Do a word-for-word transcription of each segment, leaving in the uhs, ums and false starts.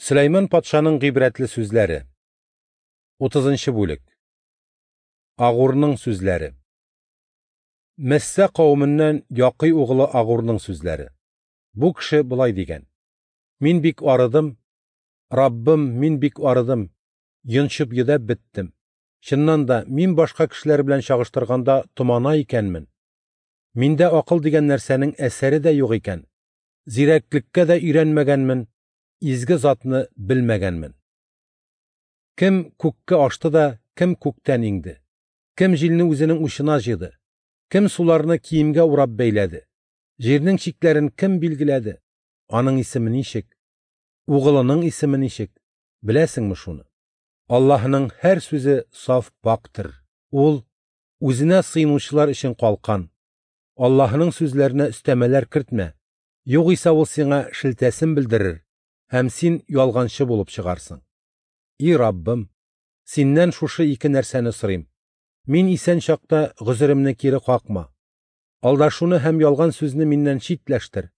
Сөләйман патшаның гыйбрәтле сүзләре. Утызынчы бүлек. Агурның сүзләре. Мессә кавеменнән Якый углы Агурның сүзләре. Бу кеше болай дигән: Мин бик арыдым, Раббым, мин бик арыдым, йончып йөдәп беттем. Чыннан да, мин башка кешеләр белән чагыштырганда томана икәнмен. Миндә акыл дигән нәрсәнең әсәре дә юк икән. Зирәклеккә дә өйрәнмәгәнмен, изге затны белмәгәнмен. Кем күккә ашты да, кем күктән иңде? Кем җилне үзенең учына җыйды? Кем суларны киемгә урап бәйләде? Җирнең чикләрен кем билгеләде? Аның исеме ничек? Угылының исеме ничек? Беләсеңме шуны? Аллаһының һәр сүзе саф пактыр. Ул үзенә сыйынучылар өчен калкан. Аллаһының сүзләренә өстәмәләр кертмә. Югыйсә ул сиңа шелтәсен белдерер һәм син ялганчы булып чыгарсың. И Раббым, синнән шушы ике нәрсәне сорыйм. Мин исән чакта гозеремне кире какма. Алдашуны һәм ялган сүзне миннән читләштер.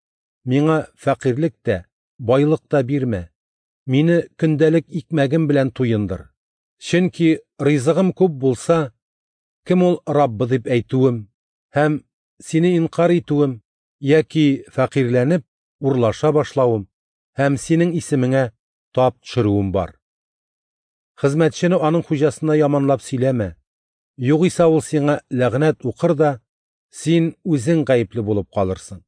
Миңа фәкыйрьлек тә, байлык та бирмә. Мине көндәлек икмәгем белән туендыр. Чөнки ризыгым күп булса, кем ул Раббы дип әйтүем һәм сине инкар итүем яки фәкыйрьләнеп урлаша башлавым һәм синең исемеңә тап төшерүем бар. Хезмәтчене аның хуҗасына яманлап сөйләмә. Югыйсә ул сиңа ләгънәт укыр да, син үзең гаепле булып калырсың.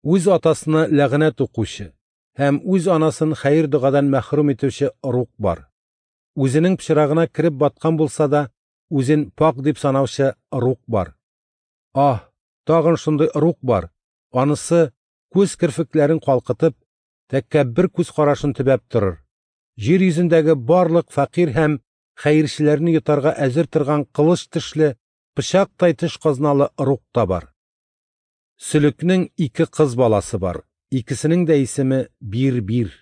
Үз атасына ләгънәт укучы һәм үз анасын хәер догадан мәхрүм итүче ыруг бар. Үзенең пычрагына кереп баткан булса да, үзен пак дип санаучы ыруг бар. Аһ, тагын шундый ыруг бар. Анысы күз керфекләрен калкытып, тәкәббер күз карашын төбәп торыр. Җир йөзендәге барлык фәкыйрь һәм хәерчеләрне йотарга әзер торган кылыч тешле, пычактай теш казналы ыруг та бар. Сөлекнең ике кыз баласы бар. Икесенең дә исеме Бир-бир.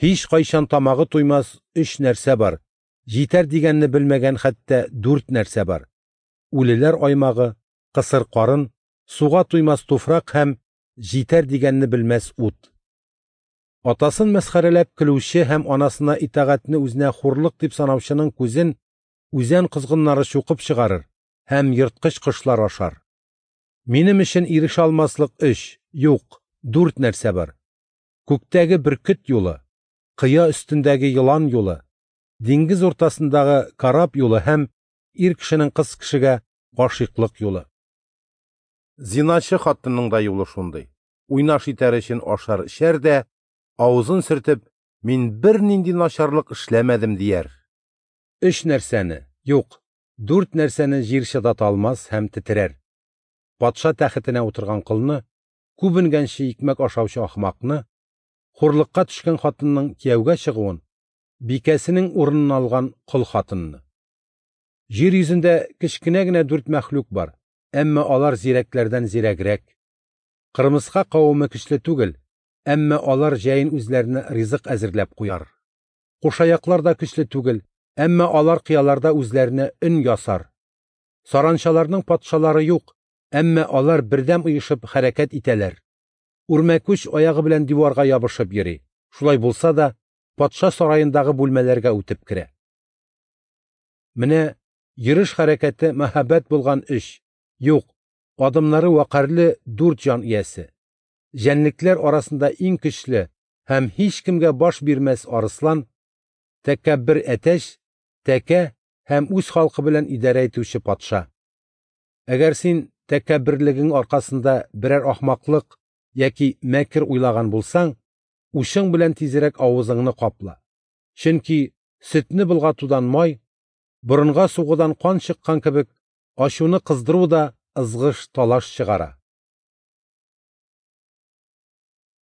Һич кайчан тамагы туймас өч нәрсә бар. Җитәр дигәнне белмәгән хәтта дүрт нәрсә бар. Үлеләр аймагы, кысыр карын, суга туймас туфрак һәм җитәр дигәнне белмәс ут. Атасын мәсхәрәләп көлүче һәм анасына итагатьне үзенә хурлык дип санаучының күзен үзән козгыннары чукып чыгарыр һәм ерткыч кошлар ашар. Минем өчен ирешә алмаслык өч, юк, дүрт нәрсә бар. Күктәге бөркет юлы, кыя өстендәге елан юлы, диңгез уртасындагы карап юлы һәм ир кешенең кыз кешегә гашыйклык юлы. Зиначы хатынның да юлы шундый. Уйнаш итәр өчен ашар эчәр дә, авызын сөртеп, мин бернинди начарлык эшләмәдем дияр. Өч нәрсәне, юк, дүрт нәрсәне җир чыдата алмас һәм тетрәр. Патша тәхетенә утырган колны, күбенгәнче икмәк ашаучы ахмакны, хурлыкка төшкән хатынның кияүгә чыгуын, бикәсенең урынын алган кол хатынны. Җир йөзендә кечкенә генә дүрт мәхлук бар, әмма алар зирәкләрдән зирәгрәк. Кырмыска кавеме көчле түгел, әмма алар җәен үзләренә ризык әзерләп куяр. Кушаяклар да көчле түгел, әмма алар кыяларда үзләренә өн ясар. Саранчаларның патшалары юк, әмма алар бердәм оешып хәрәкәт итәләр. Үрмәкүч аягы белән диварга ябышып йөри. Шулай булса да, патша сараендагы бүлмәләргә үтеп керә. Менә йөреш хәрәкәте мәһабәт булган өч, юк, адымнары вәкарьле дүрт җан иясе. Җәнлекләр арасында иң көчле һәм һичкемгә баш бирмәс арыслан, тәкәббер әтәч, тәкә һәм үз халкы белән идарә итүче патша. Әгәр син тәкәбберлегең аркасында берәр ахмаклык яки мәкер уйлаган булсаң, учың белән тизрәк авызыңны капла. Чөнки сөтне болгатудан май, борынга сугудан кан чыккан кебек, ачуны кыздыру да ызгыш талаш чыгара.